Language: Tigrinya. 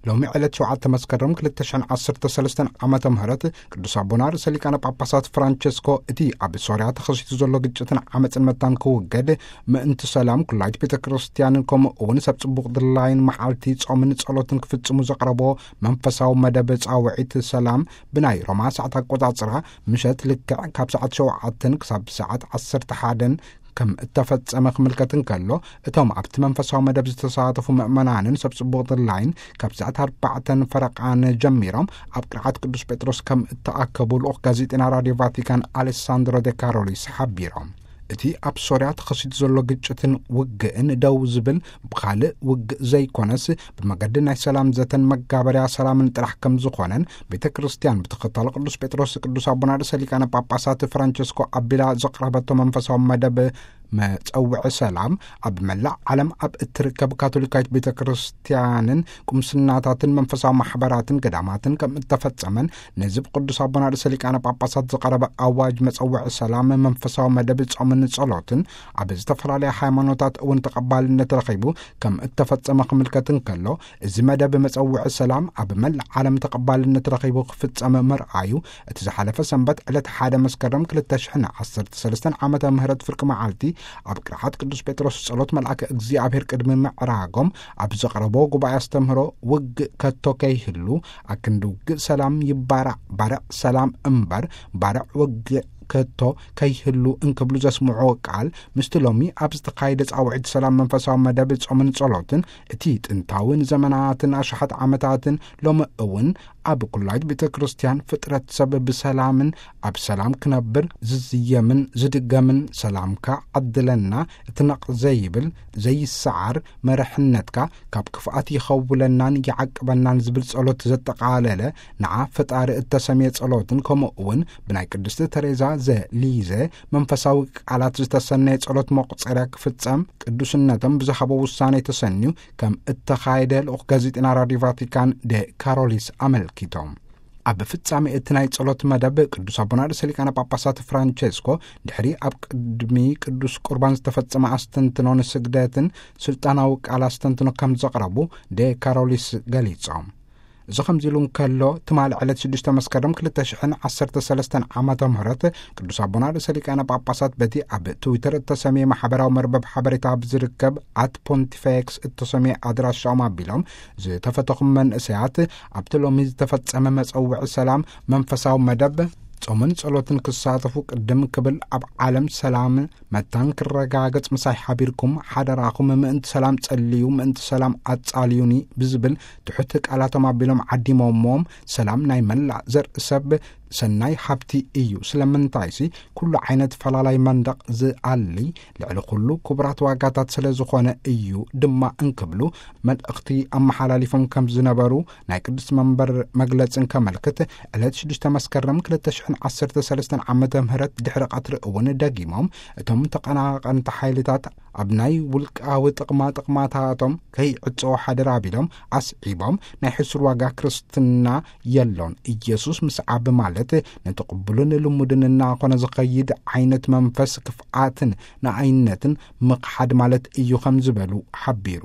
ሎሚ ዕለት ሸውዓተ መስከረም ክልተ ሽሕን ዓሰርተ ሰለስተን ዓመተ ምህረት ቅዱስ ኣቦና ርእሰ ሊቃነ ጳጳሳት ፍራንቸስኮ እቲ ኣብ ሶርያ ተኸሲቱ ዘሎ ግጭትን ዓመፅን መታን ክውገድ ምእንቲ ሰላም ኩላይት ቤተ ክርስቲያንን ከምኡ እውን ሰብ ጽቡቕ ድላይን መዓልቲ ጾምን ጸሎትን ክፍጽሙ ዘቕረቦ መንፈሳዊ መደብ ጻውዒት ሰላም ብናይ ሮማ ሰዓት ኣቆጻጽራ ምሸት ልክዕ ካብ ሰዓት ሸውዓተን ክሳብ ሰዓት ዓሰርተ ሓደን ከም እተፈጸመ ክምልከት እንከሎ፣ እቶም ኣብቲ መንፈሳዊ መደብ ዝተሳተፉ ምእመናንን ሰብ ጽቡቕ ድላይን ካብ ሰዓት ኣርባዕተን ፈረቓን ጀሚሮም ኣብ ቅርዓት ቅዱስ ጴጥሮስ ከም እተኣከቡ ልኡኽ ጋዜጠና ራድዮ ቫቲካን ኣሌሳንድሮ ደ ካሮሊስ ሓቢሮም። እቲ ኣብ ሶርያ ተኸሲቱ ዘሎ ግጭትን ውግእን ደው ዝብል ብኻልእ ውግእ ዘይኮነስ ብመገዲ ናይ ሰላም ዘተን መጋበርያ ሰላምን ጥራሕ ከም ዝኾነን ቤተ ክርስቲያን ብተኸታሎ ቅዱስ ጴጥሮስ ቅዱስ ኣቦና ርእሰ ሊቃነ ጳጳሳት ፍራንቸስኮ ኣቢላ ዘቕረበቶ መንፈሳዊ መደብ መጸውዒ ሰላም ኣብ መላእ ዓለም ኣብ እትርከብ ካቶሊካዊት ቤተ ክርስቲያንን ቁምስናታትን መንፈሳዊ ማሕበራትን ገዳማትን ከም እተፈጸመን ነዚ ብቅዱስ ኣቦና ርእሰ ሊቃነ ጳጳሳት ዝቐረበ ኣዋጅ መጸውዒ ሰላም መንፈሳዊ መደብ ጾምን ጸሎትን ኣብ ዝተፈላለያ ሃይማኖታት እውን ተቐባልነት ረኺቡ ከም እተፈጸመ ክምልከት እንከሎ፣ እዚ መደብ መጸውዒ ሰላም ኣብ መላእ ዓለም ተቐባልነት ረኺቡ ክፍጸም ምርኣዩ እቲ ዝሓለፈ ሰንበት ዕለት ሓደ መስከረም ክልተ ሽሕን ዓሰርተ ሰለስተን ዓመተ ምህረት ፍርቂ መዓልቲ ኣብ ቅርሓት ቅዱስ ጴጥሮስ ጸሎት መልኣከ እግዚኣብሔር ቅድሚ ምዕራጎም ኣብ ዘቕረቦ ጉባኤ ኣስተምህሮ ውግእ ከቶ ከይህሉ ኣክንዲ ውግእ ሰላም ይባራዕ ባርዕ ሰላም እምበር ባርዕ ውግእ ከቶ ከይህሉ እንክብሉ ዘስምዑ ቃል ምስቲ ሎሚ ኣብ ዝተኻየደ ጻውዒት ሰላም መንፈሳዊ መደብ ጾምን ጸሎትን እቲ ጥንታዊ ንዘመናትን ኣሽሓት ዓመታትን ሎሚ እውን ኣብ ኩላይት ቤተ ክርስቲያን ፍጥረት ሰብ ብሰላምን ኣብ ሰላም ክነብር ዝዝየምን ዝድገምን ሰላምካ ዓድለና እቲ ነቕ ዘይብል ዘይሰዓር መርሕነትካ ካብ ክፍኣት ይኸውለናን ይዓቅበናን ዝብል ጸሎት ዘጠቓለለ ንዓ ፈጣሪ እተሰምየ ጸሎትን ከምኡ እውን ብናይ ቅድስቲ ተሬዛ ዘሊዘ መንፈሳዊ ቃላት ዝተሰነየ ጸሎት መቑጸርያ ክፍጸም ቅዱስነቶም ብዝሃቦ ውሳኔ ተሰንዩ ከም እተኻየደ ልኡኽ ጋዜጠና ራድዮ ቫቲካን ደ ካሮሊስ ኣመልኪቶም። ኣብ ፍጻሜ እቲ ናይ ጸሎት መደብ ቅዱስ ኣቦና ርእሰ ሊቃነ ጳጳሳት ፍራንቸስኮ ድሕሪ ኣብ ቅድሚ ቅዱስ ቁርባን ዝተፈጸመ ኣስተንትኖ ንስግደትን ስልጣናዊ ቃል ኣስተንትኖ ከም ዘቕረቡ ደ ካሮሊስ ገሊጾም። እዚ ከምዚ ኢሉ እንከሎ ትማሊ ዕለት ሽዱሽተ መስከረም ክልተ ሽሕን ዓሰርተ ሰለስተን ዓመተ ምህረት ቅዱስ ኣቦና ርእሰ ሊቃነ ጳጳሳት በቲ ኣብ ትዊተር እተሰምየ ማሕበራዊ መርበብ ሓበሬታ ኣብ ዝርከብ ኣት ፖንቲፌክስ እተሰምየ ኣድራሻኦም ኣቢሎም ዝተፈተኹም መንእሰያት ኣብቲ ሎሚ ዝተፈጸመ መጸውዒ ሰላም መንፈሳዊ መደብ ጾምን ጸሎትን ክሳተፉ ቅድም ክብል ኣብ ዓለም ሰላም መታን ክረጋገጽ ምሳይ ሓቢርኩም ሓደራኹም ምእንቲ ሰላም ጸልዩ ምእንቲ ሰላም ኣጻልዩኒ ብዝብል ትሑት ቃላቶም ኣቢሎም ዓዲሞሞም ሰላም ናይ መላእ ዘርኢ ሰብ ሰናይ ሃብቲ እዩ። ስለምንታይሲ ኩሉ ዓይነት ፈላላይ መንደቕ ዝኣሊ ልዕሊ ኩሉ ክቡራት ዋጋታት ስለ ዝኾነ እዩ ድማ እንክብሉ መልእኽቲ ኣመሓላሊፎም ከም ዝነበሩ ናይ ቅዱስ መንበር መግለጽ እንከመልክት ዕለት ሽዱሽተ መስከረም ክልተ ሽሕን ዓሰርተ ሰለስተን ዓመተ ምህረት ድሕሪ ቀትሪ እውን ደጊሞም እቶም ተቐናቐንቲ ሓይልታት ኣብ ናይ ውልቃዊ ጥቕማ ጥቕማታቶም ከይዕጸዎ ሓደራ ኣቢሎም ኣስዒቦም ናይ ሕሱር ዋጋ ክርስትና የሎን። ኢየሱስ ምስዓብ ማለት ነቲ ቅቡልን ልሙድን እናኾነ ዝኸይድ ዓይነት መንፈስ ክፍኣትን ንኣይነትን ምኽሓድ ማለት እዩ ከም ዝበሉ ሓቢሩ።